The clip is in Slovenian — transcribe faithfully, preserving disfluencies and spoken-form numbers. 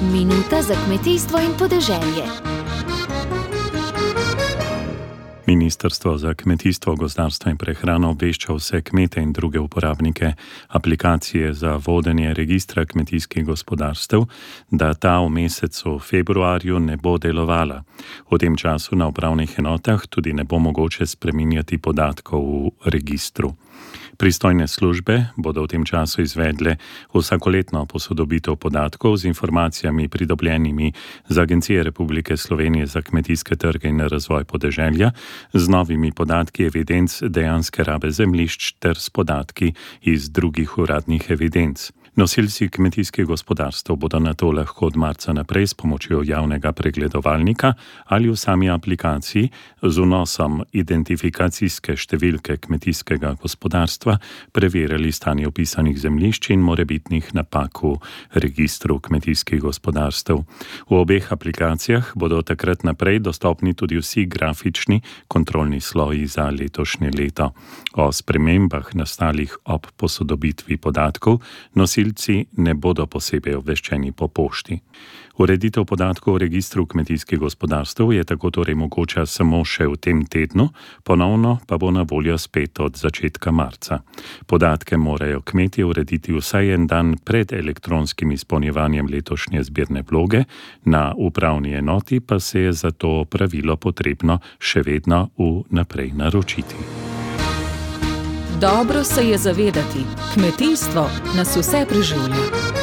Minuta za kmetijstvo in podeželje. Ministrstvo za kmetijstvo, gozdarstvo in prehrano obvešča vse kmete in druge uporabnike aplikacije za vodenje registra kmetijskih gospodarstev, da ta v mesecu februarju ne bo delovala. V tem času na upravnih enotah tudi ne bo mogoče spreminjati podatkov v registru. Pristojne službe bodo v tem času izvedle vsakoletno posodobitev podatkov z informacijami pridobljenimi z Agencije Republike Slovenije za kmetijske trge in razvoj podeželja, z novimi podatki evidenc dejanske rabe zemljišč ter s podatki iz drugih uradnih evidenc. Nosilci kmetijskih gospodarstev bodo na to lahko od marca naprej s pomočjo javnega pregledovalnika ali v sami aplikaciji z vnosom identifikacijske številke kmetijskega gospodarstva preverjali stanje vpisanih zemljišč in morebitnih napak v registru kmetijskih gospodarstev. V obeh aplikacijah bodo takrat naprej dostopni tudi vsi grafični kontrolni sloji za letošnje leto. O spremembah nastalih ob posodobitvi podatkov nosilci ne bodo posebej obveščeni po pošti. Ureditev podatkov v registru kmetijskih gospodarstev je tako torej mogoča samo še v tem tednu, ponovno pa bo na voljo spet od začetka marca. Podatke morajo kmetje urediti vsaj en dan pred elektronskim izpolnjevanjem letošnje zbirne vloge, na upravni enoti pa se je za to pravilo potrebno še vedno vnaprej naročiti. Dobro se je zavedati, kmetijstvo nas vse preživlja.